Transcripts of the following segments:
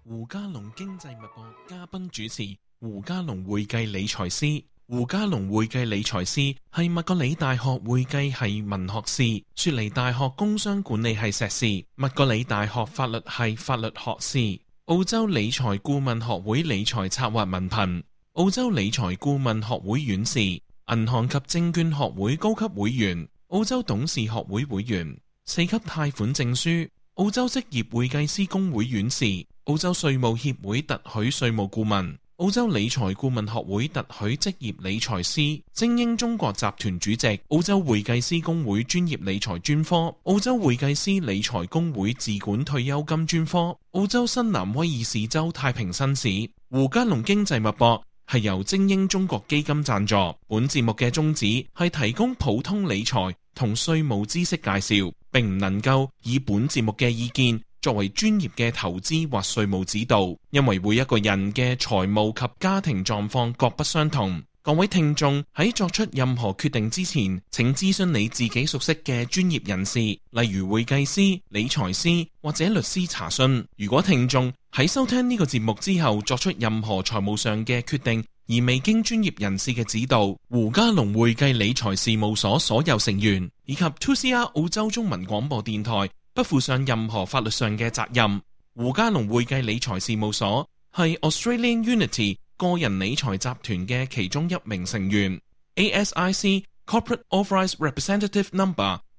胡嘉龍經濟脈搏嘉賓主持胡嘉龍會計理財師。胡嘉龍會計理財師係麥格里大學會計系文學士，雪梨大學工商管理系碩士，麥格里大學法律系法律學士，澳洲理財顧問學會理財策劃文憑，澳洲理財顧問學會院士，銀行及證券學會高級會員，澳洲董事學會會員，4級貸款證書，澳洲職業會計師公會院士，澳洲稅務協會特許稅務顧問，澳洲理財顧問學會特許職業理財師，精英中國集團主席，澳洲會計師公會專業理財專科，澳洲會計師理財公會自管退休金專科，澳洲新南威爾士州太平紳士。胡嘉龍經濟脈搏係由精英中國基金贊助，本節目嘅宗旨係提供普通理財同稅務知識介紹，並唔能夠以本節目嘅意見作為專業嘅投資或稅務指導，因為每一個人嘅財務及家庭狀況各不相同。各位聽眾喺作出任何決定之前，請諮詢你自己熟悉嘅專業人士，例如會計師、理財師或者律師查詢。如果聽眾喺收聽呢個節目之後作出任何財務上嘅決定，而未經專業人士嘅指導，胡嘉龍會計理財事務所所有成員以及 2CR 澳洲中文廣播電台不負上任何法律上嘅責任。胡嘉龍會計理財事務所係 Australian Unity 個人理財集團嘅其中一名成員， ASIC Corporate Authorised Representative No.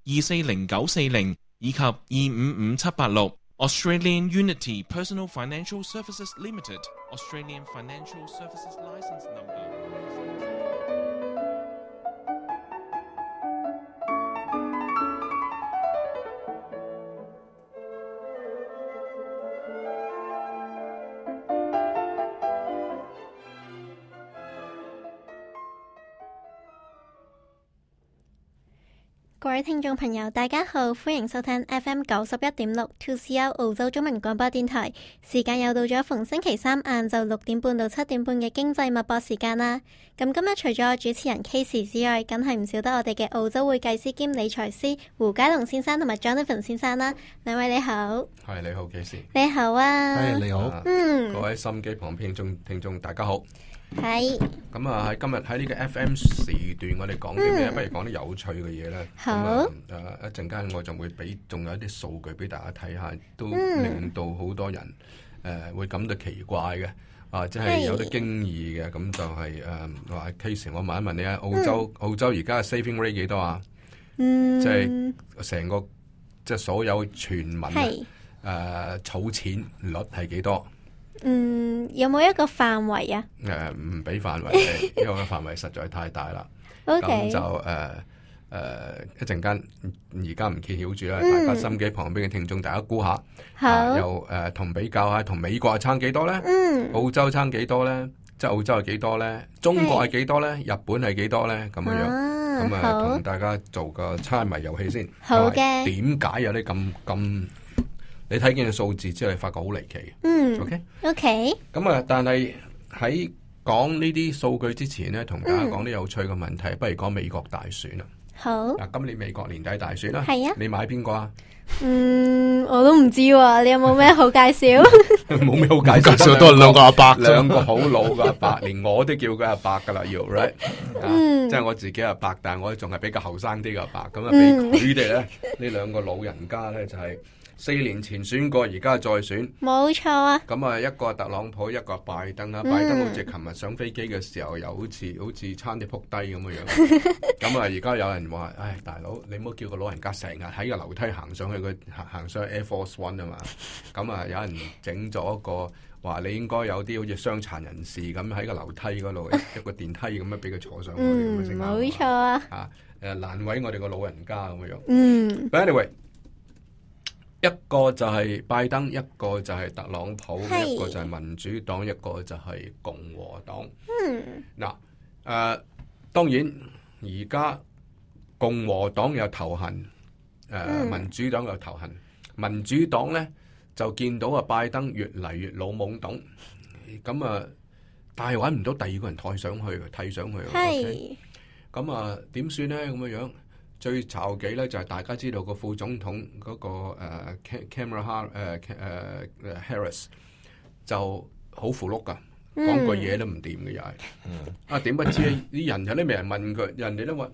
240940以及255786 Australian Unity Personal Financial Services Limited Australian Financial Services License Number。各位聽眾朋友，大家好，歡迎收聽 FM 91.6 2CR 澳洲中文廣播電台。時間又到咗逢星期三晏晝6點半到7點半嘅經濟脈搏時間啦。咁今日除咗我主持人 Casey 之外，梗係唔少得我哋嘅澳洲會計師兼理財師胡嘉龍先生同埋 Jonathan 先生啦。兩位你好。係，你好 Casey。你好啊。係，你好。各位心機旁邊聽眾大家好。係。咁啊，喺今日喺呢個 FM 時段，我哋講啲咩？不如講啲有趣嘅嘢啦。好。一陣間我就會仲有一啲數據俾大家睇下，都令到好多人會感到奇怪嘅，即係有啲驚異嘅。咁就係話 Case， 我問一問你啊，澳洲而家嘅 saving rate 幾多啊？即係成個即係所有全民儲錢率係幾多？有冇一個範圍啊？唔俾範圍，因為個範圍實在太大啦。咁就一陣間，而家唔揭曉住啦。大家心機旁邊嘅聽眾，大家估下，又同比較下，同美國係差幾多咧？澳洲差幾多咧？即係澳洲係幾多咧？中國係幾多咧？日本係幾多咧？咁樣樣，咁同大家做個猜謎遊戲先。好嘅。點解有啲咁？你睇見嘅數字之後，你發覺好離奇。OK。咁啊，但係喺講呢啲數據之前咧，同大家講啲有趣嘅問題，不如講美國大選啦。好。嗱，今年美國年底大選啦。係啊。你買邊個啊？我都唔知喎。你有冇咩好介紹？冇咩好介紹，都係兩個阿伯，兩個好老嘅阿伯，連我都叫佢阿伯噶啦，要 right。即係我自己阿伯，但係我仲係比較後生啲嘅阿伯，咁啊，俾佢哋咧呢兩個老人家咧就係。4年前選過，而家再選，冇錯啊。咁啊，一個特朗普，一個拜登啊。拜登好似琴日上飛機嘅時候，又好似差啲撲低咁嘅樣。咁啊，而家有人話，唉，大佬，你唔好叫個老人家成日喺個樓梯行上去，佢行上去 Air Force One 啊嘛。咁啊，有人整咗一個話，你應該有啲好似傷殘人士咁喺個樓梯嗰度一個電梯咁樣俾佢坐上去。冇錯啊。難為我哋個老人家咁嘅樣。But anyway。一個就係拜登，一個就係特朗普，一個就係民主黨，一個就係共和黨。當然而家共和黨有頭痕，民主黨有頭痕。民主黨咧就見到拜登越嚟越老懵懂，咁但係揾唔到第二個人替上去。咁點算咧？咁嘅樣。最嘈幾咧就係大家知道個副總統嗰個Kamala Harris 就好符碌噶，講句嘢都唔掂嘅又係。點不知啲人有啲未人問佢，人哋都話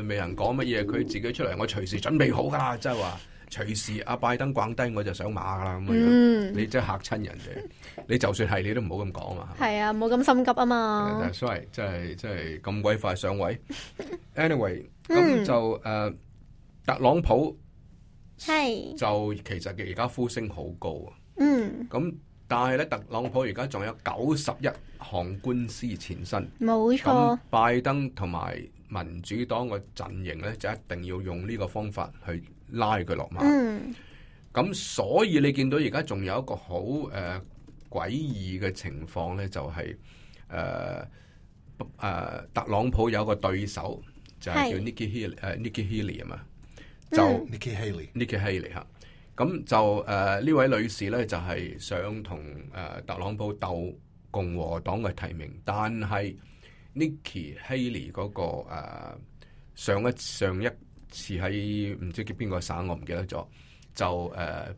未人講乜嘢，佢自己出嚟，我隨時準備好噶啦，即係話隨時阿拜登逛低我就上馬噶啦咁樣。你真係嚇親人哋，你就算係你都唔好咁講嘛。係啊，冇咁心急啊嘛。所以真係咁鬼快上位。Anyway， 咁就特朗普係就其實而家呼聲好高啊。咁但係咧，特朗普而家仲有91項官司纏身。冇錯。拜登同埋民主黨個陣營咧，就一定要用呢個方法去拉佢落馬。咁所以你見到而家仲有一個好詭異嘅情況咧，就係特朗普有個對手就係叫 Nikki Haley 啊嘛，就 Nikki Haley 嚇。咁就呢位女士咧，就係想同特朗普鬥共和黨嘅提名，但係 Nikki Haley 嗰個上一次喺唔知叫邊個省，我唔記得咗，就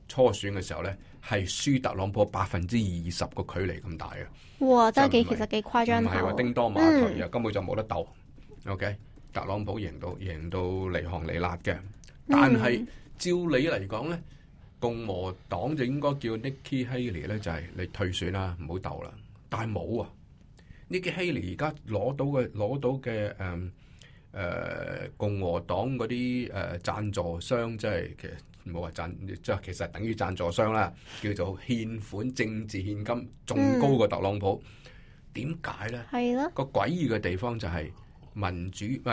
初選嘅時候咧，係輸特朗普20%個距離咁大嘅。哇！真係其實幾誇張，唔係話叮當馬頭啊，根本就冇得鬥。OK， 特朗普贏到離行離辣嘅，但係照理嚟講咧，共和黨就應該叫 Nikki Haley 咧，就係你退選啦，唔好鬥啦。但係冇啊 ，Nikki Haley 而家攞到嘅共和黨嗰啲贊助商，即係其實冇話即係其實等於贊助商啦，叫做獻款政治獻金，仲高過特朗普。點解咧？係咯。個詭異嘅地方就係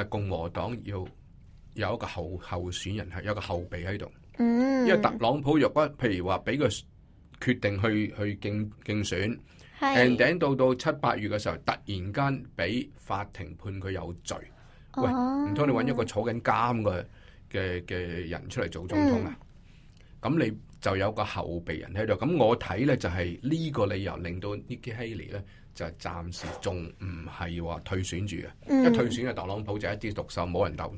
共和黨要有一個候選人，係有個後備喺度。因為特朗普若果譬如話俾佢決定去競選，and then 到7、8月嘅時候，突然間俾法庭判佢有罪，喂，唔通你揾一個坐緊監嘅人出嚟做總統啊？咁你就有個後備人喺度。咁我睇咧就係呢個理由令到 Nikki Haley 咧就係暫時仲唔係話退選住嘅。一退選嘅特朗普就一枝獨秀，冇人鬥，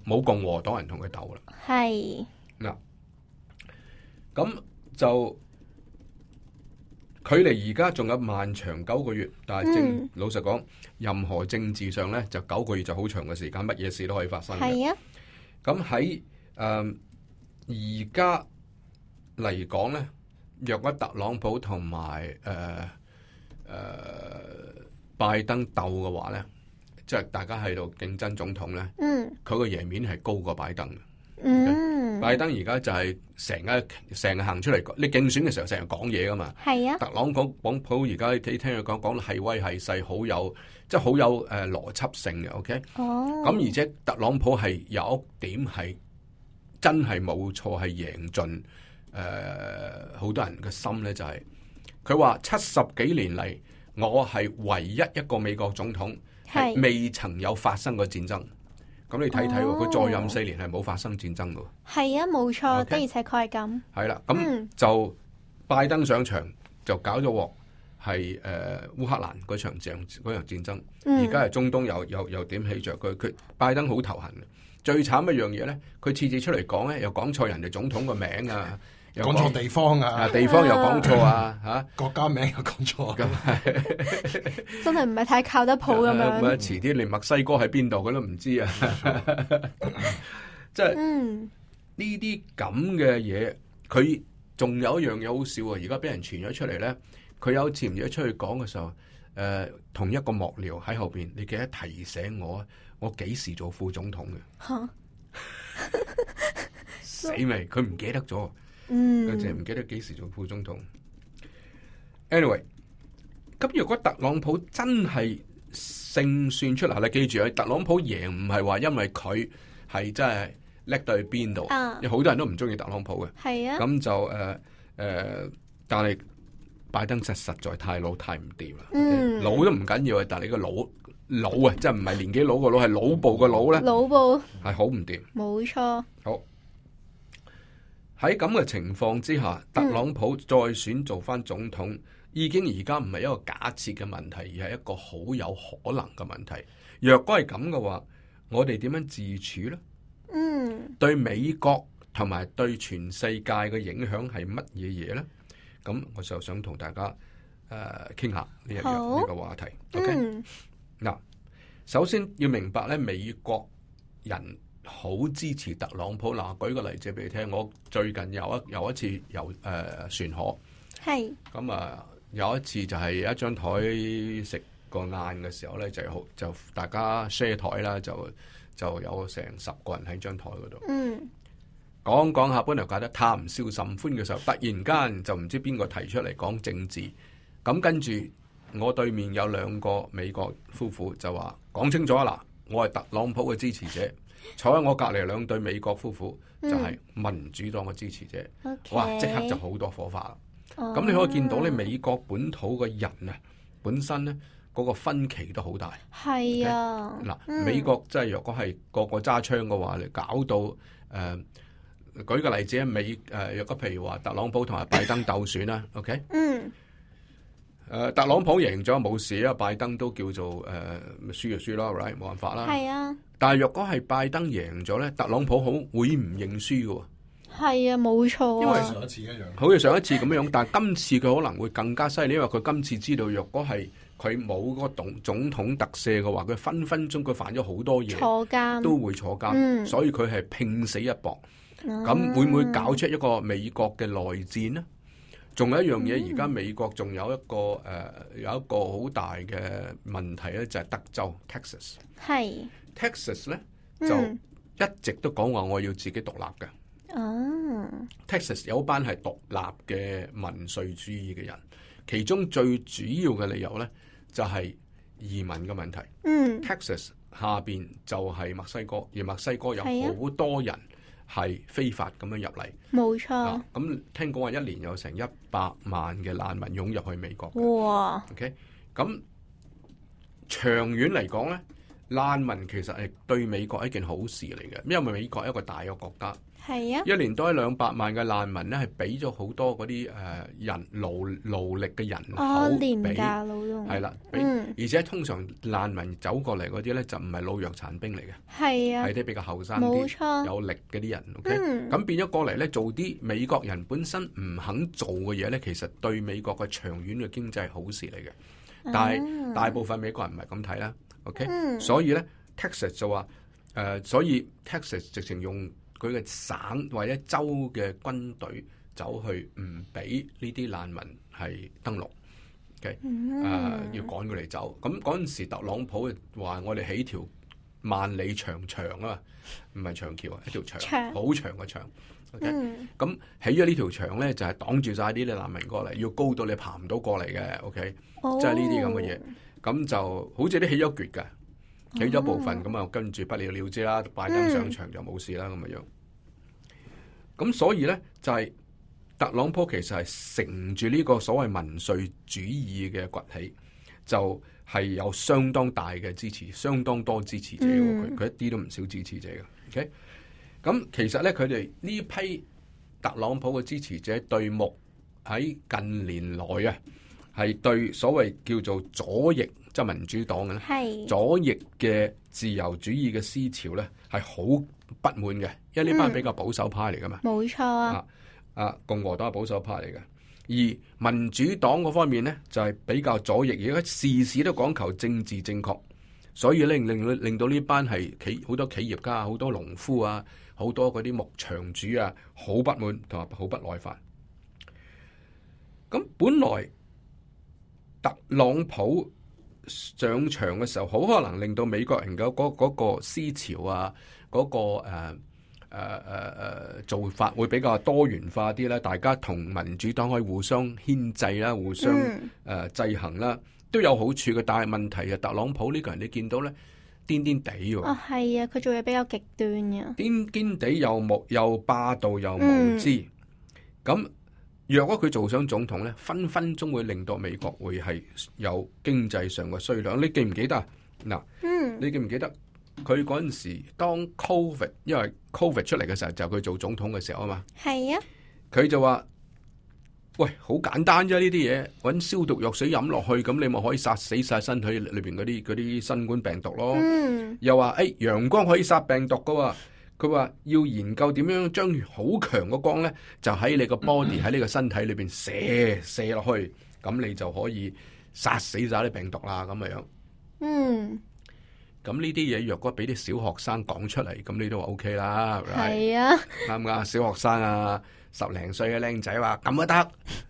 冇共和黨人同佢鬥啦。係。嗱，咁就距離而家仲有漫長9個月，但係老實講，任何政治上咧就9個月就好長嘅時間，乜嘢事都可以發生嘅。係啊，咁喺而家嚟講咧，若果特朗普同埋拜登鬥嘅話咧，即係大家喺度競爭總統咧，佢個贏面係高過拜登嘅。拜登而家就係成日行出嚟，你競選嘅時候成日講嘢噶嘛。係啊。特朗普而家你聽佢講得係威係勢，好有邏輯性嘅。OK。咁而且特朗普係有一點係真係冇錯，係贏盡好多人嘅心咧，就係佢話70幾年嚟，我係唯一一個美國總統係未曾有發生過戰爭。咁你睇睇，佢再任4年係冇發生戰爭㗎。係啊，冇錯，的而且確係咁。係啦，咁就拜登上場就搞咗鑊，係烏克蘭嗰場戰爭。而家係中東又點起着佢拜登好頭痕嘅。最慘一樣嘢咧，佢次次出嚟講咧，又講錯人哋總統個名啊。講錯地方啊！地方又講錯啊！嚇國家名又講錯，真係唔係太靠得譜咁樣。咁遲啲連墨西哥喺邊度佢都唔知啊！即係呢啲咁嘅嘢，佢仲有一樣嘢好笑啊！而家俾人傳咗出嚟咧，佢有次唔記得出去講嘅時候，同一個幕僚喺後邊，你記得提醒我幾時做副總統嘅？嚇死未？佢唔記得咗。佢淨係唔記得幾時做副總統。Anyway， 咁如果特朗普真係勝算出嚟，你記住啊，特朗普贏唔係話因為佢係真係叻到去邊度，有好多人都唔中意特朗普嘅。係啊，咁就但係拜登實在太老太唔掂啦。老都唔緊要啊，但係你個老啊，即係唔係年紀老個老，係腦部個腦咧，腦部係好唔掂。冇錯。好。喺咁嘅情況之下，特朗普再選做翻總統，已經而家唔係一個假設嘅問題，而係一個好有可能嘅問題。若果係咁嘅話，我哋點樣自處呢？對美國同埋對全世界嘅影響係乜嘢嘢呢？咁我就想同大家傾下呢個話題。OK，嗱，首先要明白咧，美國人好支持特朗普。嗱，舉個例子俾你聽，我最近有一次船河，係咁啊，有一次就係一張台食個晏嘅時候咧，就大家 share 台啦，就有成10個人喺張台嗰度。講下本來覺得談笑甚歡嘅時候，突然間就唔知邊個提出嚟講政治，咁跟住我對面有2個美國夫婦就話講清楚啦，我係特朗普嘅支持者，坐喺我隔籬2對美國夫婦就係民主黨嘅支持者，哇！即刻就好多火花啦。咁你可以見到咧，美國本土嘅人啊，本身咧嗰個分歧都好大。係啊，嗱，美國即係若果係個個揸槍嘅話，你搞到舉個例子啊，若果譬如話特朗普同埋拜登鬥選啦，OK，特朗普贏咗冇事啊，拜登都叫做輸就輸啦 ，right， 冇辦法啦。係啊，但係若果係拜登贏咗咧，特朗普會唔認輸嘅。係啊，冇錯，因為上一次一樣，好似上一次咁樣，但係今次佢可能會更加犀利，因為佢今次知道若果係佢冇嗰個總統特赦嘅話，佢分分鐘佢犯咗好多嘢，坐監都會坐監，所以佢係拼死一搏。咁會唔會搞出一個美國嘅內戰呢？仲有一樣嘢，而家美國仲有一個好大嘅問題咧，就係德州 Texas。係 Texas 咧就一直都講話我要自己獨立嘅。Texas 有班係獨立嘅民粹主義嘅人，其中最主要嘅理由咧就係移民嘅問題。Texas 下邊就係墨西哥，而墨西哥有好多人係非法咁樣入嚟，冇錯。咁聽講話1年有成100萬嘅難民湧入去美國。哇 ！OK， 咁長遠嚟講咧，難民其實係對美國係一件好事嚟嘅，因為美國係一個大嘅國家。係啊，1年多200萬嘅難民咧，係俾咗好多嗰啲勞力嘅人口廉價勞動，係啦，而且通常難民走過嚟嗰啲咧就唔係老弱殘兵嚟嘅，係啊，係啲比較後生啲有力嗰啲人。OK，咁變咗過嚟咧做啲美國人本身唔肯做嘅嘢咧，其實對美國嘅長遠嘅經濟係好事嚟嘅。但係大部分美國人唔係咁睇啦。OK，所以咧 Texas 就話所以 Texas 直情用佢嘅省或者州嘅軍隊走去唔俾呢啲難民係登陸，OK，要趕佢哋走。咁嗰陣時，特朗普話我哋起條萬里長牆啊，唔係長橋啊，一條牆，好長嘅牆。OK，咁起咗呢條牆咧，就係擋住晒呢啲難民過嚟，要高到你爬唔到過嚟嘅。OK，即係呢啲咁嘅嘢，咁就好似啲起咗橛㗎。起咗部分咁啊，跟住不了了之啦。拜登上場就冇事啦，咁嘅樣。咁所以咧，就係特朗普其實係乘住呢個所謂民粹主義嘅崛起，就係有相當大嘅支持，相當多支持者。佢一啲都唔少支持者嘅。OK，咁其實咧，佢哋呢批特朗普嘅支持者對目喺近年來啊，係對所謂叫做左翼。即係民主黨嘅咧，左翼嘅自由主義嘅思潮咧，係好不滿嘅，因為呢班比較保守派嚟噶嘛。冇錯啊，共和黨係保守派嚟嘅，而民主黨嗰方面咧就係比較左翼，而家事事都講求政治正確，所以咧令到呢班係好多企業家、好多農夫啊、好多嗰啲牧場主啊，好不滿同埋好不耐煩。咁本來特朗普上場嘅時候，好可能令到美國人嘅嗰個思潮啊，嗰個做法會比較多元化啲啦。大家同民主黨可以互相牽制啦，互相制衡啦，都有好處嘅。但係問題係特朗普呢個人，你見到咧癲癲地喎。哦，係啊，佢做嘢比較極端嘅，癲癲地又霸道又無知，咁。若果佢做上總統咧，分分鐘會令到美國會係有經濟上嘅衰退。你記唔記得嗱？你記唔記得佢嗰陣時當 Covid， 因為 Covid 出嚟嘅時候就佢做總統嘅時候啊嘛。係啊，佢就話：喂，好簡單啫，呢啲嘢搵消毒藥水飲落去，咁你咪可以殺死晒身體裏邊嗰啲新冠病毒咯。又話陽光可以殺病毒噶，佢話要研究點樣將好強嘅光咧，就喺你個 body 喺你個身體裏邊射落去，咁你就可以殺死晒啲病毒啦咁樣。咁呢啲嘢若果俾啲小學生講出嚟，咁你都話 OK 啦，係啊，啱唔啱？小學生啊，10零歲嘅僆仔話咁都得，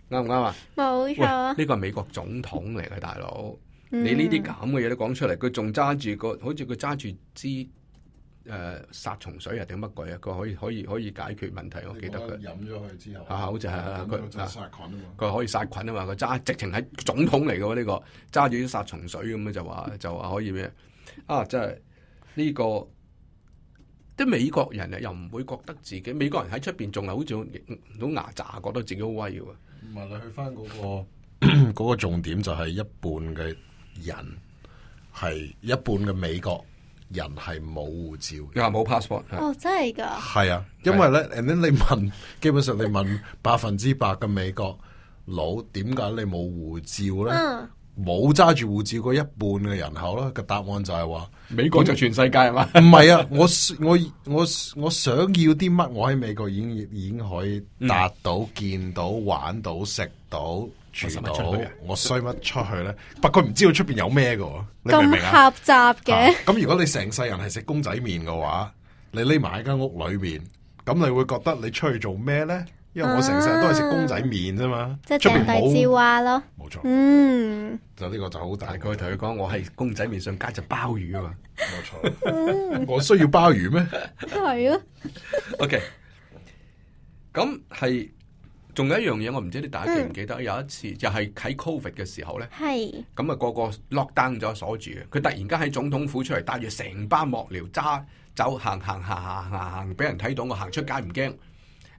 啱唔啱啊？冇錯。呢個係美國總統嚟嘅大佬，你呢啲咁嘅嘢都講出嚟，佢仲揸住個，好似佢揸住支殺蟲水啊定乜鬼啊？佢可以解決問題，我記得佢飲咗佢之後，好似係佢殺菌啊嘛，佢可以殺菌啊嘛，佢揸直情係總統嚟嘅喎，呢個揸住啲殺蟲水咁樣就話可以咩啊？真係呢個啲美國人啊，又唔會覺得自己美國人喺出邊仲係好似到牙渣，覺得自己好威嘅喎。唔係你去翻嗰個重點就係一半嘅人係一半嘅美國人係冇護照嘅，冇 passport。哦，真係㗎？係啊，因為咧，你問，基本上你問100%嘅美國佬點解你冇護照咧？冇揸住護照嗰一半嘅人口啦，個答案就係話美國就全世界係嘛？唔係啊，我想要啲乜，我喺美國已經可以達到、見到、玩到、食到、住到，我需乜出去咧？不過佢唔知道出邊有咩嘅，你明唔明啊？咁狹窄嘅。咁如果你成世人係食公仔麵嘅話，你匿埋喺間屋裏面，咁你會覺得你出去做咩咧？因為我成世人都係食公仔麵啫嘛，即係井底之蛙咯。冇錯，就呢個就好大。佢同佢講，我係公仔麵上加隻鮑魚啊嘛，冇錯。我需要鮑魚咩？係啊。OK， 咁係仲有一樣嘢，我唔知你大家記唔記得？有一次就係喺 Covid 嘅時候咧，咁啊個個 lock down 咗鎖住嘅，佢突然間喺總統府出嚟，帶住成班幕僚揸走行，俾人睇到我行出街唔驚。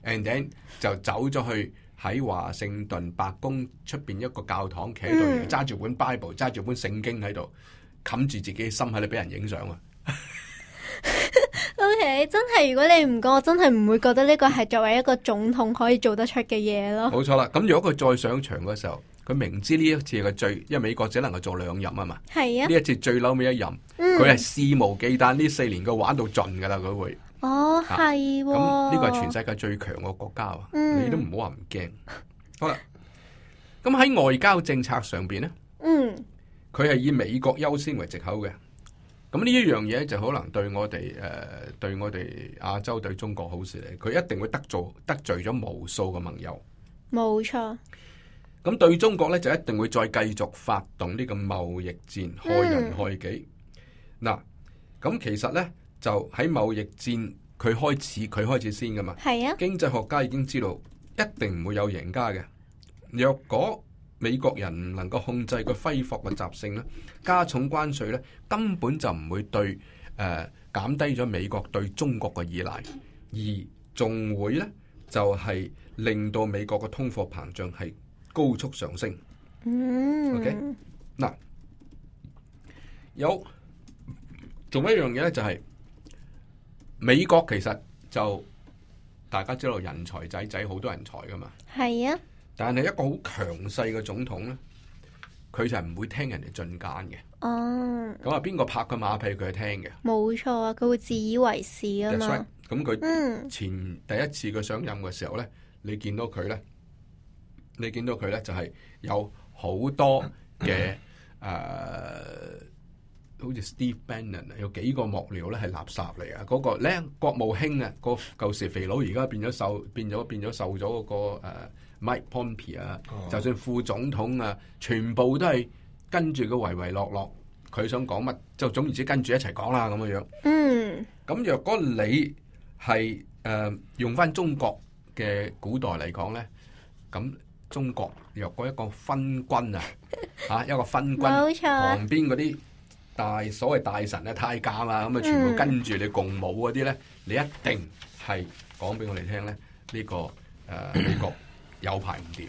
And then 就走咗去喺華盛頓白宮出邊一個教堂企喺度，揸住本 Bible， 揸住本聖經喺度，冚住自己心喺度俾人影相啊！OK， 真係如果你唔講，我真係唔會覺得呢個係作為一個總統可以做得出嘅嘢咯。冇錯啦，咁如果佢再上場嘅時候，佢明知呢一次係最，因為美國只能夠做2任啊嘛。係啊，呢一次最嬲尾1任，佢係肆無忌憚呢4年佢玩到盡噶啦，佢會。哦，係喎。咁呢個係全世界最強嘅國家啊！你都唔好話唔驚。好啦，咁喺外交政策上邊咧，佢係以美國優先為藉口嘅。咁呢一樣嘢就可能對我哋亞洲對中國好事嚟，佢一定會得罪咗無數嘅盟友。冇錯。咁對中國咧就一定會再繼續發動呢個貿易戰，害人害己。嗱，咁其實咧。就喺貿易戰，佢開始先噶嘛。係啊，經濟學家已經知道一定唔會有贏家嘅。若果美國人唔能夠控制佢揮霍嘅習性咧，加重關稅咧，根本就唔會對減低咗美國對中國嘅依賴，而仲會咧就係令到美國嘅通貨膨脹係高速上升。OK， 嗱，仲有一樣嘢咧就係。美國其實就大家知道人才仔好多人才噶嘛，係啊。但係一個好強勢嘅總統咧，佢就係唔會聽人哋進諫嘅。哦，咁啊，邊個拍佢馬屁佢係聽嘅？冇錯啊，佢會自以為是啊嘛。咁佢第一次佢上任嘅時候咧，你見到佢咧就係有好多嘅好似 Steve Bannon 有幾個幕僚咧係垃圾嚟啊！嗰個咧國務卿啊，個舊時肥佬而家變咗瘦咗嗰個Mike Pompeo 啊，就算副總統啊，全部都係跟住佢唯唯諾諾，佢想講乜就總言之跟住一齊講啦咁嘅樣。咁若果你係用翻中國嘅古代嚟講咧，咁中國若果一個昏君啊，一個昏君旁邊嗰啲。所謂大臣啊、太監啊，咁啊全部跟住你共舞嗰啲咧，你一定係講俾我哋聽咧，呢個美國有排唔掂。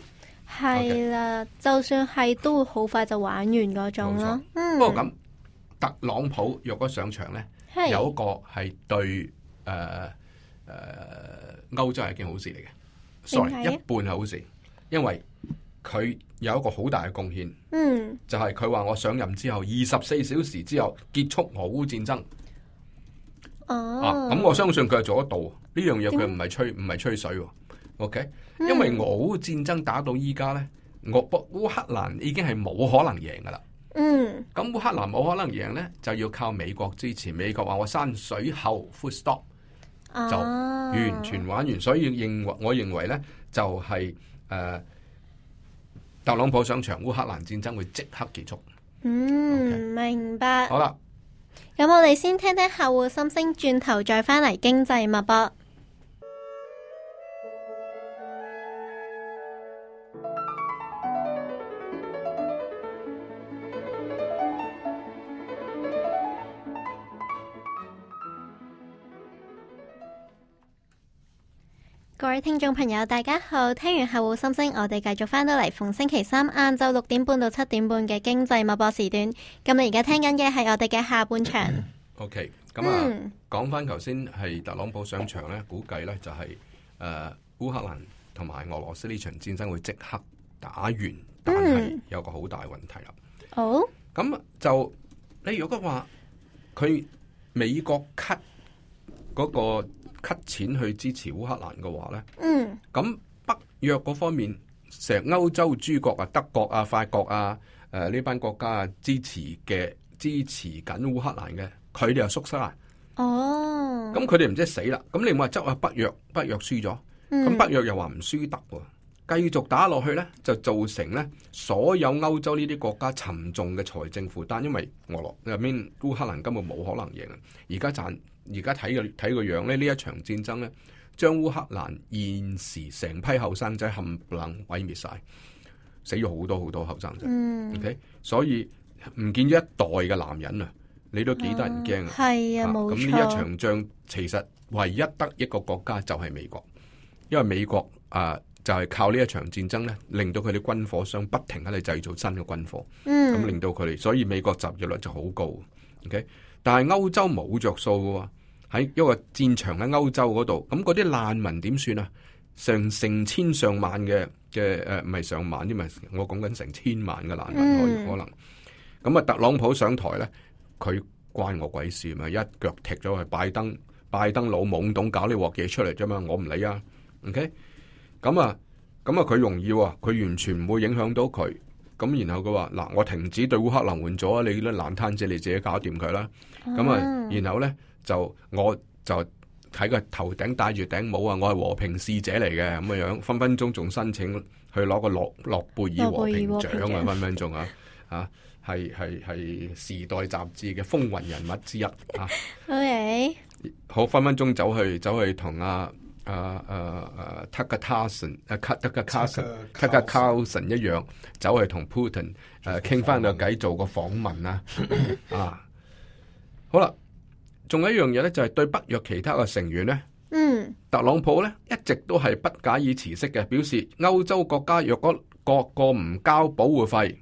係啦，就算係都會好快就玩完嗰種咯。不過咁，特朗普若果上場咧，有一個係對歐洲係一件好事嚟嘅。Sorry， 一半係好事，因為佢有一個好大嘅貢獻，就係佢話我上任之後24小時之後結束俄烏戰爭。哦，咁我相信佢係做得到呢樣嘢，佢唔係吹水喎。OK，因為俄烏戰爭打到依家咧，烏克蘭已經係冇可能贏噶啦。咁烏克蘭冇可能贏咧，就要靠美國支持。美國話我山水後 full stop，就完全玩完。所以我認為咧，就係特朗普上場，烏克蘭戰爭會即刻結束。Okay. 明白。好啦，咁我哋先聽聽客戶心聲，轉頭再返嚟經濟脈搏。各位聽眾朋友大家好，聽完客戶心聲，我哋繼續返到嚟逢星期三晏晝6點半到7點半嘅經濟脈搏時段。咁你而家聽緊嘅係我哋嘅下半場。OK， 咁講翻頭先係特朗普上場咧，估計咧就係烏克蘭同埋俄羅斯呢場戰爭會即刻打完，但係有個好大問題啦。好，咁就你如果話佢美國 cut 嗰個 cut 錢去支持烏克蘭嘅話咧，咁北約嗰方面，成歐洲諸國啊、德國啊、法國啊、呢班國家啊支持緊烏克蘭嘅，佢哋又縮沙啊。哦，咁佢哋唔知死啦。咁你唔話執啊北約輸咗，咁北約又話唔輸得喎，繼續打落去咧，就造成咧所有歐洲呢啲國家沉重嘅財政負擔，因為烏克蘭根本冇可能贏啊。而家睇個樣咧，呢一場戰爭咧，將烏克蘭現時成批後生仔冚唪唥毀滅晒，死咗好多好多後生仔。OK， 所以唔見咗一代嘅男人啊，你都幾得人驚啊。係啊，冇錯。咁呢一場仗其實唯一得一個國家就係美國，因為美國就係靠呢一場戰爭咧，令到佢哋軍火商不停喺度製造新嘅軍火，咁令到佢哋，所以美國集結率就好高。OK。但係歐洲冇着數嘅喎，喺一個戰場喺歐洲嗰度，咁嗰啲難民點算啊？成千上萬嘅唔係上萬，因為我講緊成千萬嘅難民可能。咁特朗普上台咧，佢關我鬼事嘛？一腳踢咗去拜登老懵懂搞呢鑊嘢出嚟啫嘛，我唔理啊。OK， 咁佢容易喎，佢完全唔會影響到佢。咁然後佢話嗱，我停止對烏克蘭援助啊，你啲爛攤子你自己搞掂佢啦。然後咧我就喺個頭頂戴住頂帽啊，我係和平使者嚟嘅咁嘅樣，分分鐘仲申請去攞個諾貝爾和平獎啊，分分鐘啊係時代雜誌嘅風雲人物之一啊。OK， 好，分分鐘走去同Tucker Carlson 一樣，走去同 Putin 傾翻個偈，做個訪問啊。好啦，仲有一樣嘢咧，就係對北約其他嘅成員咧，特朗普咧一直都係不假以辭色嘅，表示歐洲國家若果各個唔交保護費，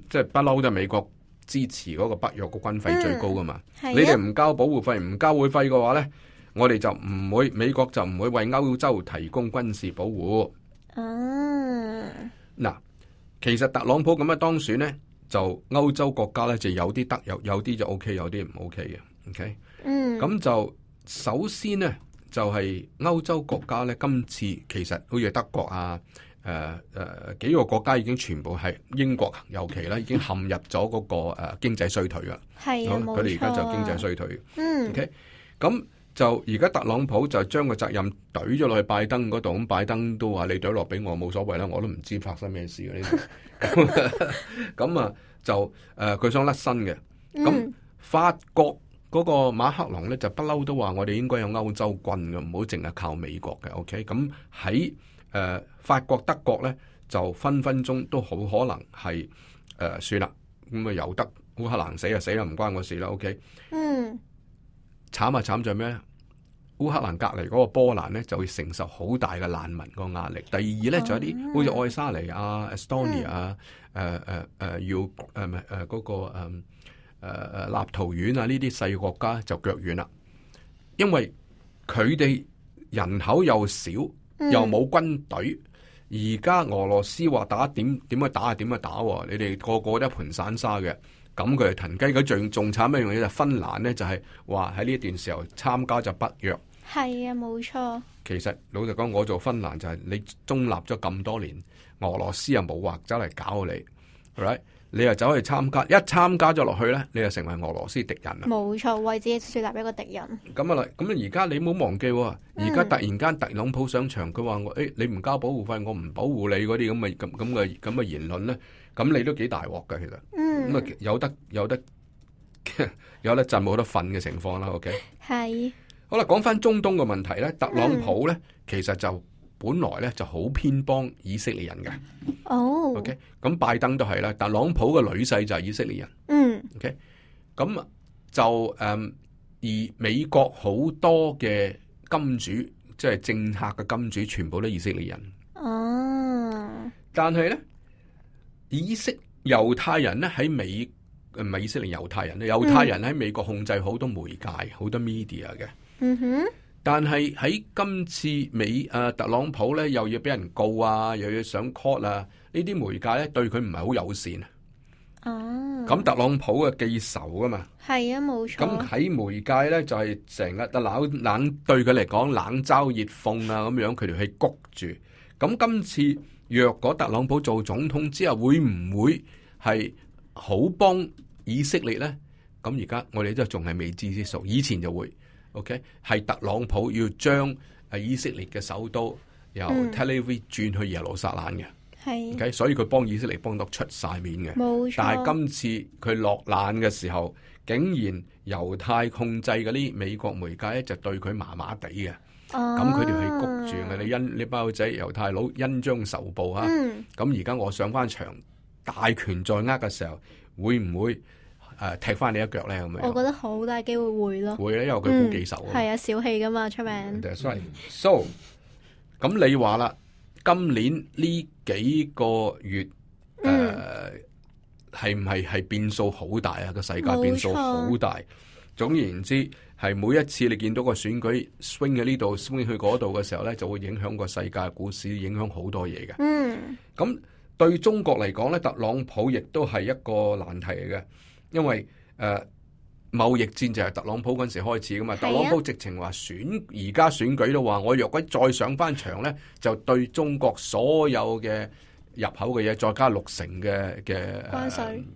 即係不嬲都係美國支持嗰個北約個軍費最高噶嘛。你哋唔交保護費、唔交會費嘅話咧，我哋就唔會，美國就唔會為歐洲提供軍事保護。嗱，其實特朗普咁樣當選咧，就歐洲國家咧就有啲得，有啲就 OK， 有啲唔 OK 嘅。OK，咁就首先咧就係歐洲國家咧，今次其實好似德國啊，幾個國家已經全部係英國尤其啦，已經陷入咗嗰個經濟衰退噶。係啊，冇錯。佢哋而家就經濟衰退。OK，咁就而家特朗普就將個責任懟咗落去拜登嗰度，咁拜登都話你懟落俾我冇所謂啦，我都唔知發生咩事嘅呢度。咁就佢想甩身嘅。咁法國嗰個馬克龍咧就不嬲都話我哋應該有歐洲軍嘅，唔好淨係靠美國嘅。OK， 咁喺法國德國咧就分分鐘都好可能係算啦，咁由得烏克蘭死就死啦，唔關我事啦。OK， 慘慘在咩？烏克蘭隔籬嗰個波蘭咧就會承受好大嘅難民個壓力。第二咧就有啲好似愛沙尼亞、Estonia 嗰個立陶宛啊呢啲細國家就腳軟啦，因為佢哋人口又少，又冇軍隊。而家俄羅斯話打點去打，你哋個個都一盤散沙嘅。咁佢係騰雞。佢仲慘一樣嘢就係芬蘭咧，就係話喺呢一段時候參加咗北約。係啊，冇錯。其實老實講，我做芬蘭就係你中立咗咁多年，俄羅斯又冇話走嚟搞你，係咪？你又走去參加，一參加咗落去咧，你就成為俄羅斯敵人啦。冇錯，為自己樹立一個敵人。咁啊，咁而家你冇忘記，而家突然間特朗普上場，佢話我你唔交保護費，我唔保護你嗰啲咁嘅言論咧，咁你都幾大鑊㗎其實。咁啊有得震冇得瞓嘅情況啦。OK。係。好啦，講翻中東嘅問題咧，特朗普咧其實就本來咧就好偏幫以色列人嘅。OK， 咁拜登都係啦，特朗普嘅女婿就係以色列人。OK， 咁就而美國好多嘅金主，即係政客嘅金主，全部都以色列人。但係咧，猶太人咧喺美唔係以色列猶太人咧，猶太人喺美國控制好多媒介、好多 media 嘅。但係喺今次特朗普咧又要俾人告啊，又要上 court 啊，呢啲媒介咧對佢唔係好友善。咁特朗普嘅記仇啊嘛。係啊，冇錯。咁喺媒介咧就係成日冷對佢嚟講冷嘲熱諷啊，咁樣佢哋去谷住。咁今次若果特朗普做總統之後，會唔會係好幫以色列咧？咁而家我哋都仲係未知之數，以前就會。OK， 係特朗普要將以色列嘅首都由 Tel Aviv 轉去耶路撒冷嘅。OK， 所以佢幫以色列幫到出晒面嘅。冇錯。但係今次佢落難嘅時候，竟然猶太控制嗰啲美國媒介咧就對佢麻麻地嘅。咁佢哋係谷住嘅，你包仔猶太佬恩將仇報啊！咁而家我上翻場，大權在握嘅時候，會唔會踢翻你一腳咧？咁樣，我覺得好大機會會咯。會咧，因為佢好記仇啊。係啊，小氣噶嘛，出名。So， 咁你話啦，今年呢幾個月係唔係變數好大啊？個世界變數好大。總而言之，係每一次你見到個選舉 swing 喺呢度 swing 去嗰度嘅時候咧，就會影響個世界股市，影響好多嘢嘅。咁對中國嚟講咧，特朗普亦都係一個難題嚟嘅，因為貿易戰就係特朗普嗰陣時開始噶嘛。特朗普直情話而家選舉都話，我若果再上翻場咧，就對中國所有嘅入口嘅嘢再加60%嘅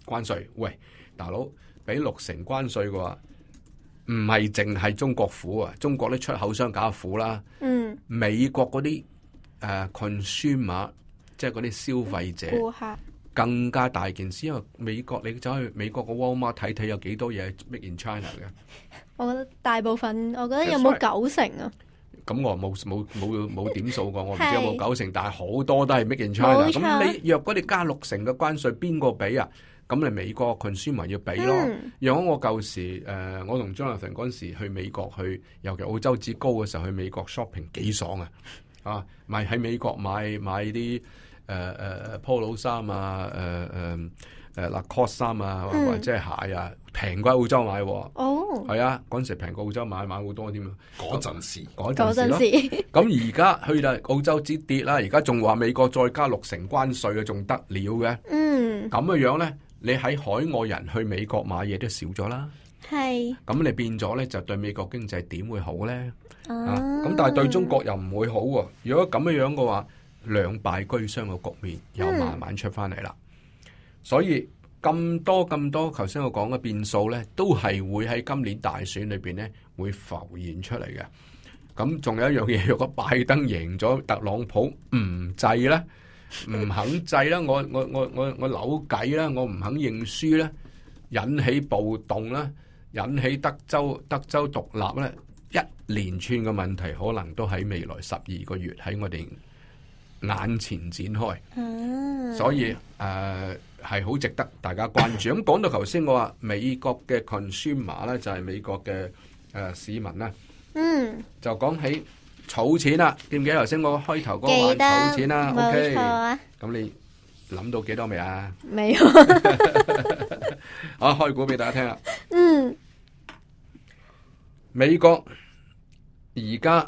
關稅。喂，大佬俾60%關稅嘅話，唔係淨係中國苦啊，中國啲出口商搞苦啦。美國嗰啲consumer， 即係嗰啲消費者，顧客更加大件事，因為美國你走去美國個 Walmart 睇睇有幾多嘢 Made in China 嘅。我覺得大部分，我覺得有冇90%啊？咁我冇點數過，我唔知有冇90%，但係好多都係 Made in China。咁你若果你加60%嘅關稅，邊個俾啊？咁你美國 consumer 要俾咯。如果我舊時我同 Jonathan 嗰陣時去美國去，尤其澳洲指高嘅時候去美國 shopping 幾爽啊！買喺美國買啲Polo 衫啊，Lacoste 衫啊，或者係鞋啊，平過澳洲買。係啊，嗰陣時平過澳洲買好多添啊！嗰陣時咯。咁而家去到澳洲指跌啦，而家仲話美國再加60%關稅嘅，仲得了嘅。咁嘅樣咧。你喺海外人去美國買嘢都少咗啦，係咁你變咗咧就對美國經濟點會好咧？咁但係對中國又唔會好喎。如果咁樣嘅話，兩敗俱傷嘅局面又慢慢出翻嚟啦。所以咁多頭先我講嘅變數咧，都係會喺今年大選裏邊咧會浮現出嚟嘅。咁仲有一樣嘢，如果拜登贏咗，特朗普唔制咧？唔肯制啦，我扭計啦，我唔肯認輸咧，引起暴動啦，引起德州獨立咧，一連串嘅問題可能都喺未來12個月喺我哋眼前展開。所以係好值得大家關注。咁講到頭先我話美國嘅 consumer 咧，就係美國嘅市民啦，就講起儲錢啦，記唔記得頭先我開頭嗰個話儲錢啦？冇錯啊。咁你諗到幾多未啊？未有。好，開估俾大家聽啦。美國而家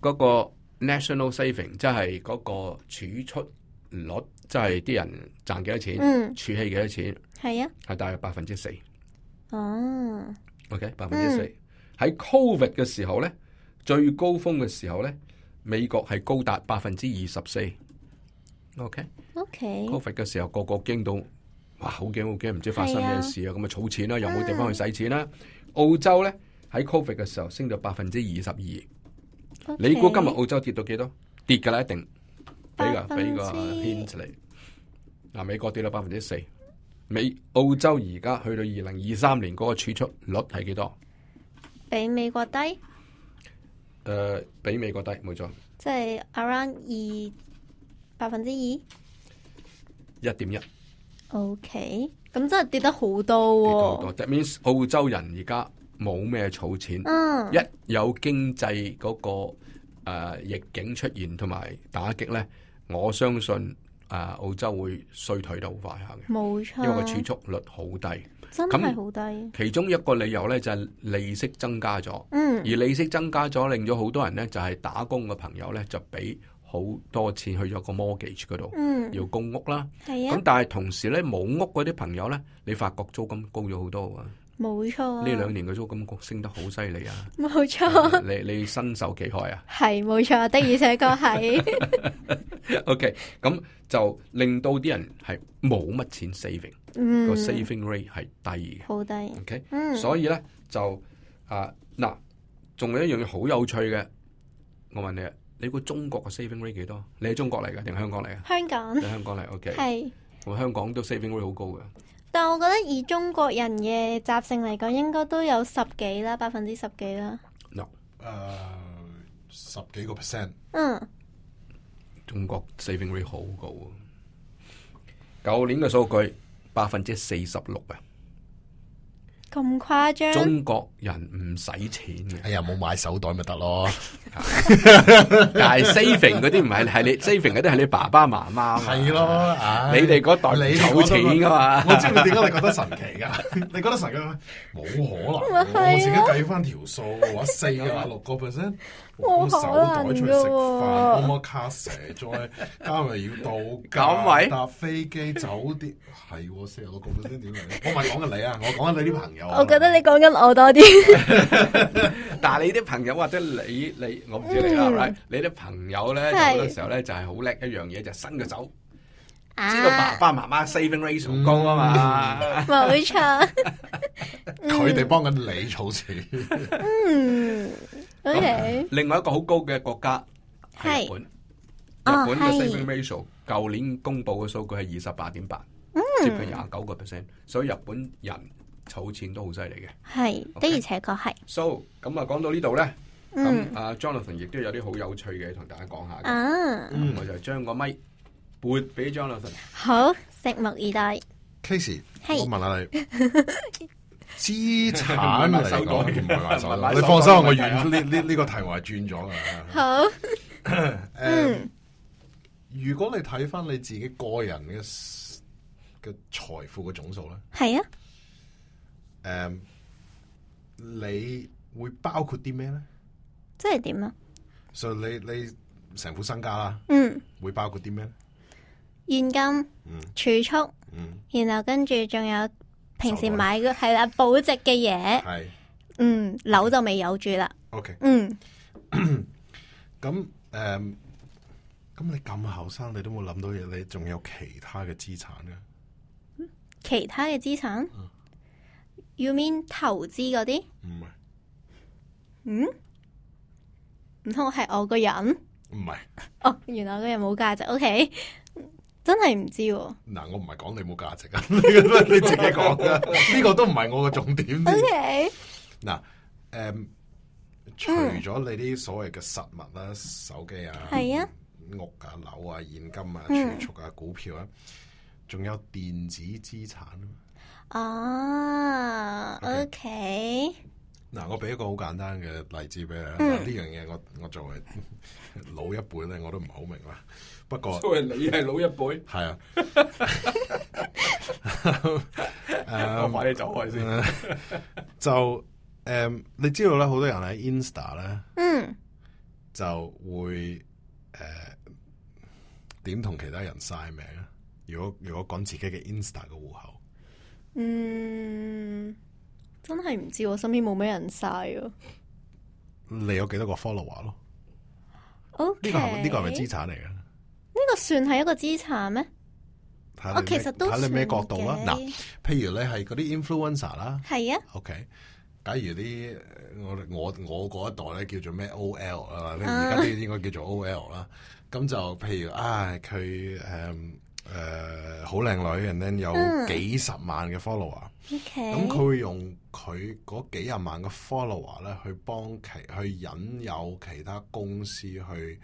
嗰個 national saving， 即係嗰個儲蓄率即係啲人賺幾多錢，儲起幾多錢，係啊，係大約4%。哦，OK， 4%。喺 Covid 嘅時候咧，最高峰嘅時候咧，美國係高達24%。OK，Covid 嘅時候個個驚到，哇，好驚好驚，唔知發生咩事啊！咁啊，儲錢啦，又冇地方去使錢啦。澳洲咧喺 Covid 嘅時候升到22%。你估今日澳洲跌到幾多？跌㗎啦，一定。俾個 hint 嚟。嗱，美國跌到4%。澳洲而家去到2023年嗰個儲蓄率係幾多？比美國低？比美國低，冇錯。即係 around 2%。1.1。OK， 咁真係跌得好多喎。跌得好多。That means 澳洲人而家冇咩儲錢。一有經濟嗰個逆境出現同埋打擊咧，我相信澳洲會衰退得好快下嘅。冇錯，因為個儲蓄率好低，真係好低。其中一個理由咧就係利息增加咗，而利息增加咗，令咗好多人咧就係打工嘅朋友咧就俾好多錢去咗個 mortgage 嗰度，要供屋啦。咁但係同時咧冇屋嗰啲朋友咧，你發覺租金高咗好多啊！冇錯，呢2年嘅租金升得好犀利啊！冇錯，你身受其害啊？係冇錯，的而且確係。OK， 咁就令到啲人係冇乜錢 saving，個 saving rate 係低嘅，好低。OK，所以咧就嗱，仲有一樣嘢好有趣嘅，我問你啊，你估中國嘅 saving rate 幾多？你係中國嚟嘅定係香港嚟嘅？香港，你香港嚟 OK， 係，咁香港都 saving rate 好高嘅。但我覺得以中國人嘅習性嚟講，應該都有10幾啦，10%幾啦。No， 10幾個%。中國 saving rate 好高啊！舊年嘅數據46%啊！咁誇張？中國人唔使錢嘅，哎呀，冇買手袋咪得咯。但係 saving 嗰啲唔係你 saving 嗰啲係你爸爸媽媽，係咯，你哋嗰代你儲錢噶嘛？我知道點解你覺得神奇噶？你覺得神奇？冇可能，我自己計翻條數，話4%、6%，我手袋出去食飯，我卡蛇，再加埋要到假搭飛機、酒店，係46%點嚟？我唔係講緊你啊，我講緊你啲朋友。我覺得你講緊我多啲。但係你啲朋友或者你我唔知你啦，right？你啲朋友咧，有好多時候咧就係好叻一樣嘢，就伸個手，知道爸爸媽媽 saving ratio 高啊嘛。冇錯，佢哋幫緊你儲錢。OK。另外一個好高嘅國家係日本，日本嘅 saving ratio 舊年公布嘅數據係28.8，接近29%，所以日本人儲錢都好犀利嘅。係的而且確係。So 咁啊，講到呢度咧。咁Jonathan 亦都有啲好有趣嘅同大家講下嘅，我就將個咪撥俾 Jonathan。好，拭目以待。Casey，我問下你，資產嚟講唔係買手袋，你放心，我呢個題目係轉咗噶。好。如果你睇翻你自己個人嘅財富嘅總數咧，係啊。你會包括啲咩咧？即係點啊？所以你成副身家啦，會包括啲咩？現金、儲蓄，然後跟住仲有平時買嘅係啦保值嘅嘢，係，樓就未有住啦。OK，咁你咁後生，你都冇諗到嘢，你仲有其他嘅資產嘅？其他嘅資產？You mean 投資嗰啲？唔係。唔通係我個人？唔係。哦，原來我個人冇價值。OK， 真係唔知喎。嗱，我唔係講你冇價值啊，你自己講嘅，呢個都唔係我嘅重點。OK。嗱，除咗你啲所謂嘅實物啦，手機啊，係啊，屋啊、樓啊、現金啊、儲蓄啊、股票啊，仲有電子資產啊。OK。嗱，我俾一個好簡單嘅例子俾你。呢樣嘢我作為老一輩咧，我都唔係好明啦。不過，作為你係老一輩，係啊。我快啲走開先。就你知道咧，好多人喺 Insta 咧，就會點同其他人晒命啊？如果講自己嘅 Insta 嘅戶口，真係唔知，我身邊冇咩人晒啊。你有幾多個 follower 咯？ OK，呢個係咪資產嚟嘅？呢個算係一個資產咩？我其實都睇你咩角度啦。嗱，譬如你係嗰啲 influencer 啦，係啊。OK，假如啲我嗰一代咧叫做咩 OL 啊，而家啲應該叫做 OL 啦。咁就譬如佢好靚女，然後有幾十萬嘅 follower。OK，咁佢會用佢嗰幾廿萬嘅 follower 咧，去引誘其他公司去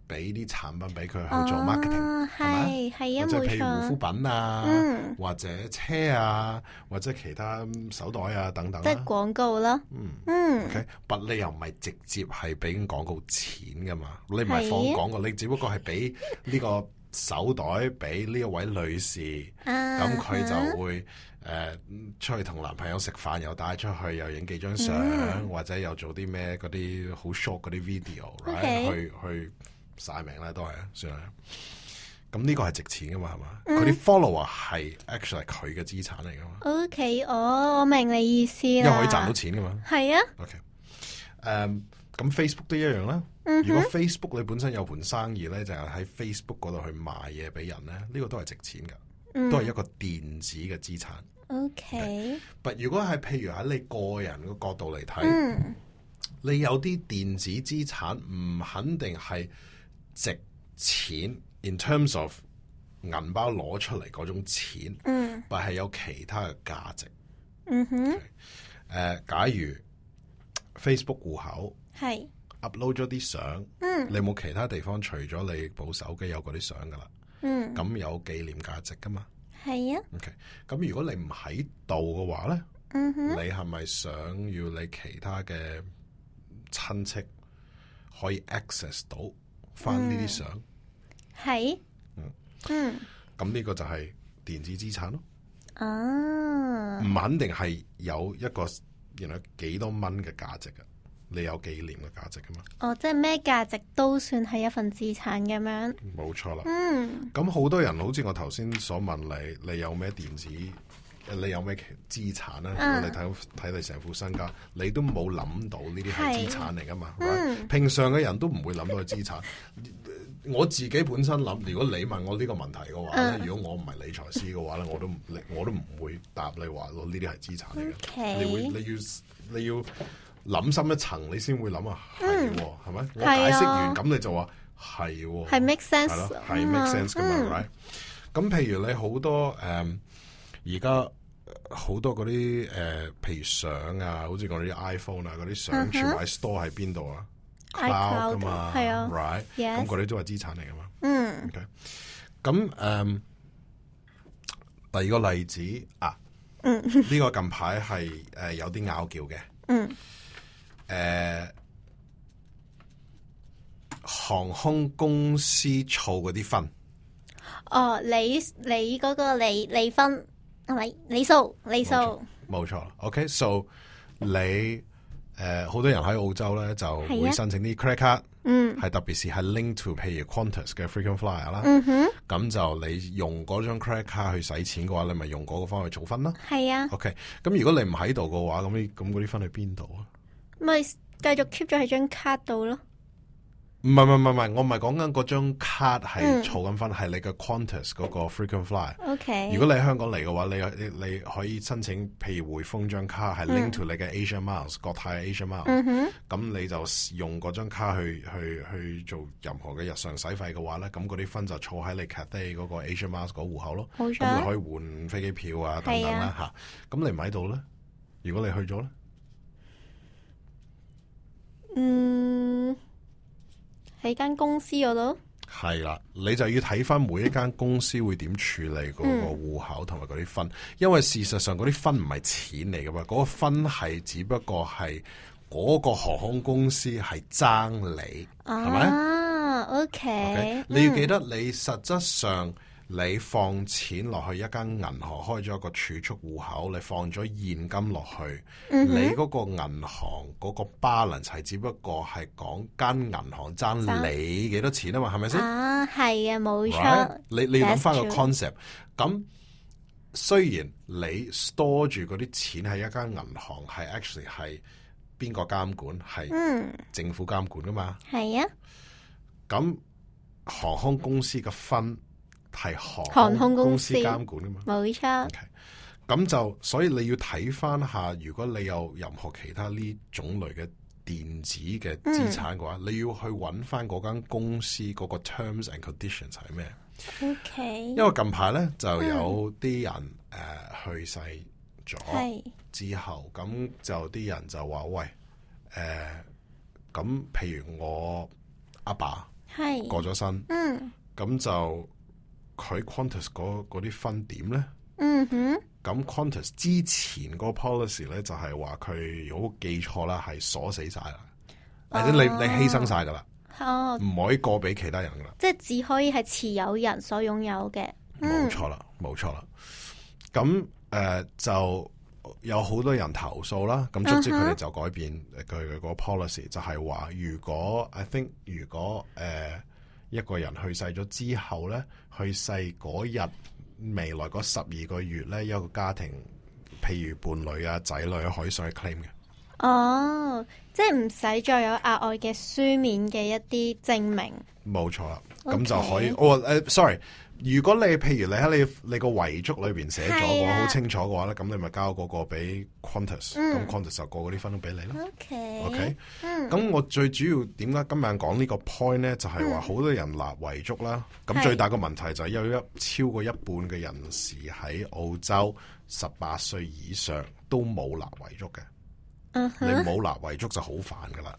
俾啲產品俾佢去做 marketing，係啊，即係譬如冇錯，護膚品啊，或者車啊，或者其他手袋啊等等，即係廣告啦。OK，但你又唔係直接係俾廣告錢噶嘛？你唔係放廣告，你只不過係俾呢個手袋俾呢一位女士，咁佢就會出去同男朋友食飯，又帶出去，又影幾張相，或者又做啲咩嗰啲好 short 嗰啲 video， 去晒命咧，都係算係。咁呢個係值錢噶嘛，係嘛？佢啲 follower 係 actually 係佢嘅資產嚟噶嘛。OK，我明你意思啦，因為可以賺到錢噶嘛。係啊。OK，咁 Facebook 都一樣啦。如果 Facebook 你本身有盤生意咧，就係喺 Facebook 嗰度去賣嘢俾人咧，呢個都係值錢噶，都係一個電子嘅資產。OK，但如果係譬如喺你個人嘅角度嚟睇，你有啲電子資產唔肯定係值錢 in terms of 銀包攞出嚟嗰種錢，但係有其他嘅價值。假如 Facebook 戶口係 upload 咗啲相，你冇其他地方除咗你部手機有嗰啲相噶啦，咁有紀念價值噶嘛？係啊。OK，咁如果你唔喺度嘅話咧，你係咪想要你其他嘅親戚可以 access 到翻呢啲相？係。咁呢個就係電子資產咯。唔肯定係有一個原來幾多蚊嘅價值噶，你有紀念嘅價值噶嘛？即係咩價值都算係一份資產咁樣。冇錯啦。咁好多人好似我頭先所問你，你有咩電子？你有咩資產咧？你睇你成副身家，你都冇諗到呢啲係資產嚟噶嘛？平常嘅人都唔會諗到係資產。我自己本身諗，如果你問我呢個問題嘅話咧，如果我唔係理財師嘅話咧，我都唔會答你話咯，呢啲係資產嚟嘅。你要諗深一層，你先會諗係係咪？我解釋完咁你就話係 make sense， 係咯，係 make sense 噶嘛？咁譬如你好多而家好多嗰啲譬如相啊，好似我哋啲 iPhone 啊嗰啲相，全部喺 store 喺邊度啊？cloud 噶嘛，係啊 ，right， 咁嗰啲都係資產嚟噶嘛。OK，咁第二個例子呢個近排係有啲拗撬嘅。航空公司儲嗰啲分。你嗰個離分係咪？理數。冇錯。OK，so 你。好多人喺澳洲咧就會申請啲 credit card，係特別是係 link to 譬如 Qantas 嘅 frequent flyer 啦，咁就你用嗰張 credit card 去使錢嘅話，你咪用嗰個方去儲分咯。係啊。OK，咁如果你唔喺度嘅話，咁嗰啲分去邊度啊？咪繼續 keep 咗喺張卡度咯。唔係，我唔係講緊嗰張卡係儲緊分，係你嘅 Qantas 嗰個 frequent flyer。如果你喺香港嚟嘅話，你可以申請，譬如匯豐張卡係 link to 你嘅 Asia Miles，國泰嘅 Asia Miles。咁你就用嗰張卡去做任何嘅日常使費嘅話咧，咁嗰啲分就儲喺你 Cathay 嗰個 Asia Miles 嗰戶口咯。咁你可以換飛機票啊等等啦嚇。咁你唔喺度咧，如果你去咗咧，喺間公司嗰度係啦，你就要睇翻每一間公司會點處理嗰個戶口同埋嗰啲分，因為事實上嗰啲分唔係錢嚟噶嘛，嗰個分係只不過係嗰個航空公司係爭你，係咪？OK，你要記得你實質上你放錢落去一間銀行開咗一個儲蓄戶口，你放咗現金落去，你嗰個銀行嗰個 balance 係只不過係講間銀行爭你幾多錢啊嘛，係咪先？啊，係啊，冇錯。Right? 你要諗翻個 That's concept。咁雖然你 store 住嗰啲錢喺一間銀行，係 actually 係邊個監管？係政府監管噶嘛？係啊。咁航空公司嘅分係航空公司監管噶嘛？冇錯。咁就所以你要睇翻下，如果你有任何其他呢種類嘅電子嘅資產嘅話，你要去揾翻嗰間公司嗰個 terms and conditions 係咩？OK。因為近排咧就有啲人去世咗之後，咁就啲人就話喂咁譬如我阿爸過咗身，咁就佢 Qantas 嗰啲分點咧？咁 Qantas 之前嗰個 policy 咧就係話佢如果記錯啦，係鎖死晒啦，或者你犧牲晒噶啦，唔可以過俾其他人噶啦，即係只可以係持有人所擁有嘅。冇錯啦，冇錯啦。咁就有好多人投訴啦，咁卒之佢哋就改變佢嘅個 policy，就係話如果 I think 如果一個人去世咗之後咧，去世嗰日未來嗰12個月咧，一個家庭譬如伴侶啊、仔女可以上去 claim 嘅。哦，即係唔使再有額外嘅書面嘅一啲證明。冇錯啦，咁就可以。sorry。如果你譬如你喺你個遺囑裏邊寫咗嘅話，好清楚嘅話咧，咁你咪交嗰個俾 Qantas，咁 Qantas 就過嗰啲分都俾你啦。OK，咁我最主要點解今日講呢個 point 咧，就係話好多人立遺囑啦。咁最大個問題就係有超過一半嘅人士喺澳洲18歲以上都冇立遺囑嘅。你冇立遺囑就好煩噶啦。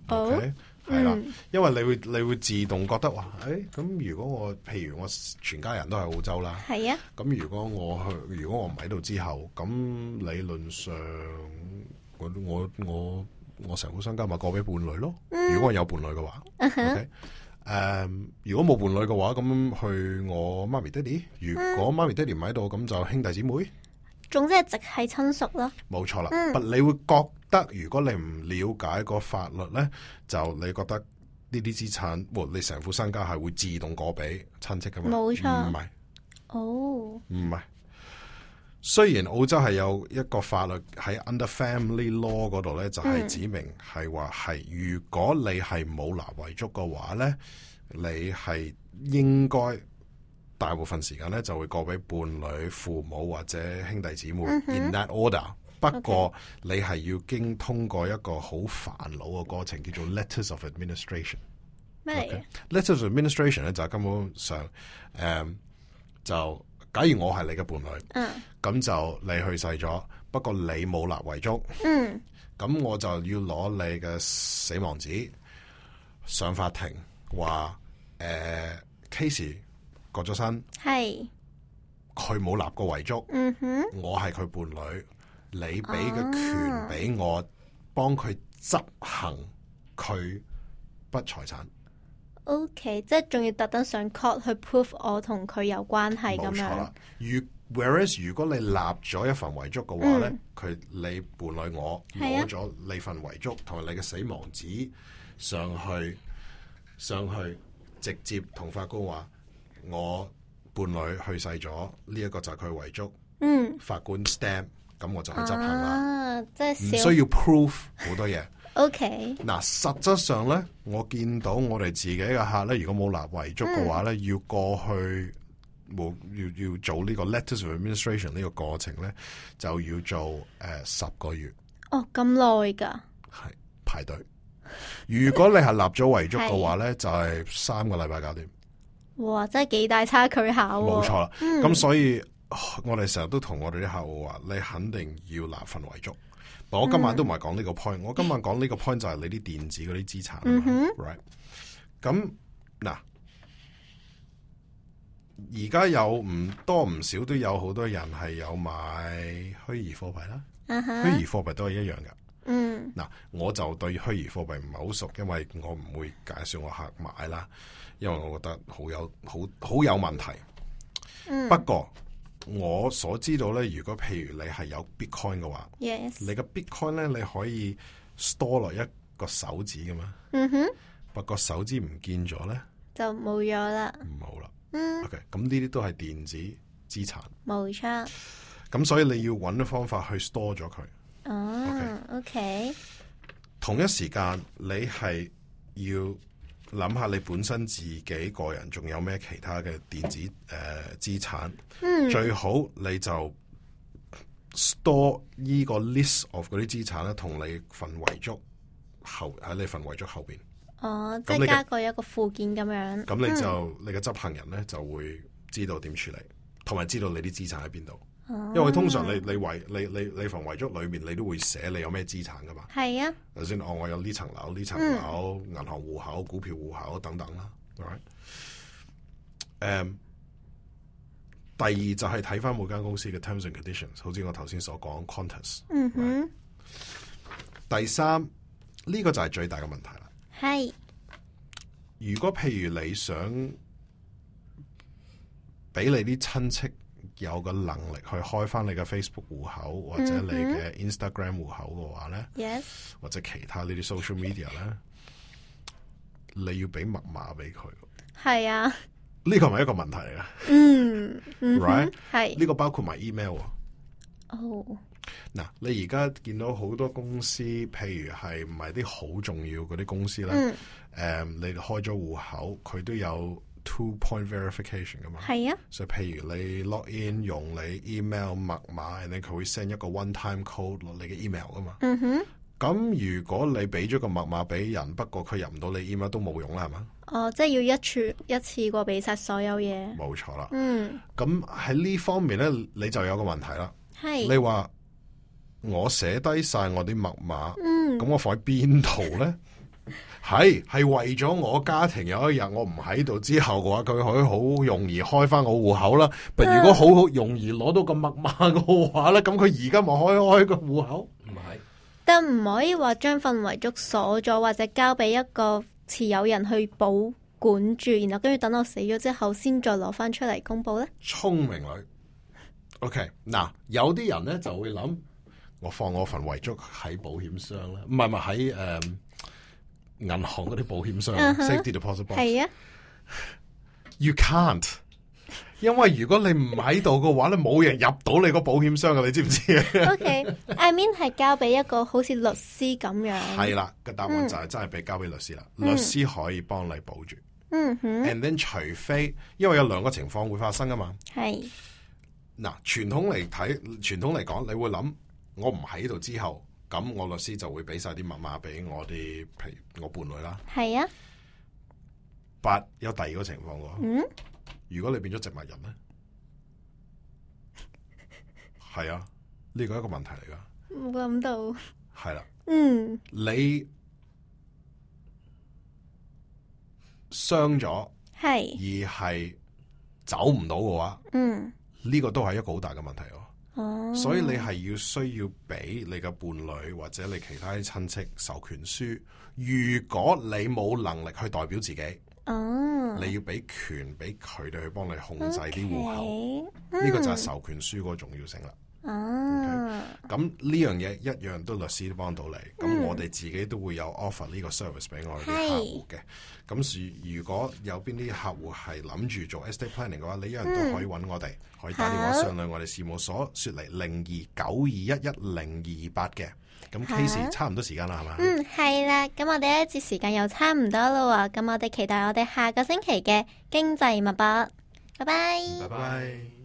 OK。係啦，因為你會自動覺得話，咁如果我譬如我全家人都係澳洲啦，係啊，咁如果我唔喺度之後，咁理論上我成副身家咪過俾伴侶咯。如果我有伴侶嘅話，OK，如果冇伴侶嘅話，咁去我媽咪爹哋。如果媽咪爹哋唔喺度，咁就兄弟姊妹。總之係直系親屬咯。冇錯啦，但你會覺得如果你唔了解個法律咧，就你覺得呢啲資產，你成副身家係會自動過俾親戚噶嘛？冇錯，唔係。唔係。雖然澳洲係有一個法律喺 Under Family Law 嗰度咧，就係指明係話係，如果你係冇立遺囑嘅話咧，你係應該大部分時間咧就會過俾伴侶、父母或者兄弟姊妹 in that order。不過你係要經通過一個好煩惱嘅過程，叫做 Letters of Administration。咩？Letters of Administration 咧就係根本上就假如我係你嘅伴侶，咁就你去世咗，不過你冇立遺囑，咁我就要攞你嘅死亡紙上法庭，話case 過咗身，係佢冇立過遺囑，我係佢伴侶，你俾嘅權俾我幫佢執行佢筆財產。OK， 即係仲要特登上 court 去 prove 我同佢有關係咁樣。冇錯啦。Whereas 如果你立咗一份遺囑嘅話咧，你伴侶我攞咗你份遺囑同埋你嘅死亡紙上去，直接同法官話我伴侶去世咗，呢一個就係佢遺囑。法官 stamp， 咁我就去執行啦。即係唔需要 proof 好多嘢。OK， 嗱，實質上咧，我見到我哋自己嘅客咧，如果冇立遺囑嘅話咧，要過去要做呢個 Letters of Administration 呢個過程咧，就要做10個月。哦，咁耐噶？係排隊。如果你係立咗遺囑嘅話咧，就係3個禮拜搞掂。哇，真係幾大差距下喎。冇錯啦，咁所以我哋成日都同我哋啲客戶話，你肯定要立份遺囑。我今晚都唔係講呢個 point，我今晚講呢個 point 就係你啲電子嗰啲資產，right？ 咁嗱，而家有唔多唔少都有好多人係有買虛擬貨幣啦，虛擬貨幣都係一樣噶。嗱，我就對虛擬貨幣唔係好熟，因為我唔會介紹我客買啦，因為我覺得好有問題。嗯，不過我所知道咧，如果譬如你係有 Bitcoin 嘅話 Yes，你嘅 Bitcoin 咧，你可以 store 落一個手指噶嘛。嗯哼，不過手指唔見咗咧，就冇咗啦。冇啦。嗯， OK， 咁呢啲都係電子資產。冇錯。咁所以你要揾啲方法去 store 咗佢。哦 ，OK，同一時間你係要諗下你本身自己個人仲有咩其他嘅電子資產。最好你就 store 呢個 list of 嗰啲資產咧，同你份遺囑喺你份遺囑後邊。哦，即係加過一個附件咁樣。咁你就你嘅執行人咧就會知道點處理，同埋知道你啲資產喺邊度。因為通常你份遺囑裏面你都會寫你有咩資產噶嘛。係啊。頭先我有呢層樓、呢層樓、銀行戶口、股票戶口等等啦。第二就係睇翻每間公司嘅 terms and conditions， 好似我頭先所講 contents。第三呢個就係最大嘅問題啦。係。如果譬如你想俾你啲親戚有個能力去開翻你嘅 Facebook 戶口或者你嘅 Instagram 戶口嘅話咧，Yes， 或者其他呢啲 social media 咧，你要俾密碼俾佢。係啊，呢個係咪一個問題嚟噶？Right， 係呢個包括埋 email。哦，嗱，你而家見到好多公司，譬如係唔係啲好重要嗰啲公司咧？你開咗戶口，佢都有 2-point verification 噶嘛？係啊，所以譬如你 log in 用你 email 密碼，然後佢會 send 一個 one-time code 落你嘅 email 噶嘛。咁如果你俾咗個密碼俾人，不過佢入唔到你 email 都冇用啦，係嘛？哦，即係要一次過俾晒所有嘢。冇錯啦。咁喺呢方面咧，你就有個問題啦。係。你話我寫低晒我啲密碼，咁我放喺邊度咧？係為咗我家庭有一日我唔喺度之後嘅話，佢可以好容易開翻我戶口啦。但如果好容易攞到個密碼嘅話咧，咁佢而家咪開個戶口？唔係，但唔可以話將份遺囑鎖咗，或者交俾一個持有人去保管住，然後跟住等我死咗之後，先再攞翻出嚟公布咧。聰明女 ，OK， 嗱，有啲人咧就會諗，我放我份遺囑喺保險箱啦，唔係喺銀行嗰啲保險箱 safety deposit box。係啊 ，you can't， 因為如果你唔喺度嘅話咧，冇人入到你個保險箱嘅，你知唔知啊？OK，I mean 係交俾一個好似律師咁樣。係啦，個答案就係真係俾交俾律師啦，律師可以幫你保住。And then 除非因為有兩個情況會發生噶嘛。係。嗱，傳統嚟講，你會諗我唔喺度之後。咁我律師就會俾晒啲密碼俾我哋，譬如我伴侶啦。係啊。但有第二個情況喎。如果你變咗植物人咧，係啊，呢個係一個問題嚟噶。冇諗到。係啦。你傷咗，而係走唔到嘅話，呢個都係一個好大嘅問題喎。所以你係需要俾你嘅伴侶或者你其他啲親戚授權書。如果你冇能力去代表自己，你要俾權俾佢哋去幫你控制啲戶口。呢個就係授權書嗰個重要性啦。咁呢樣嘢一樣都律師都幫到你。咁我哋自己都會有 offer 呢個 service 俾我哋啲客戶嘅。咁如果有邊啲客戶係諗住做 estate planning 嘅話，你一樣都可以揾我哋，可以打電話上嚟我哋事務所，說嚟0292110228嘅。咁 case 差唔多時間啦，係嘛？係啦。咁我哋呢一節時間又差唔多啦喎。咁我哋期待我哋下個星期嘅經濟脈搏。拜拜。拜拜。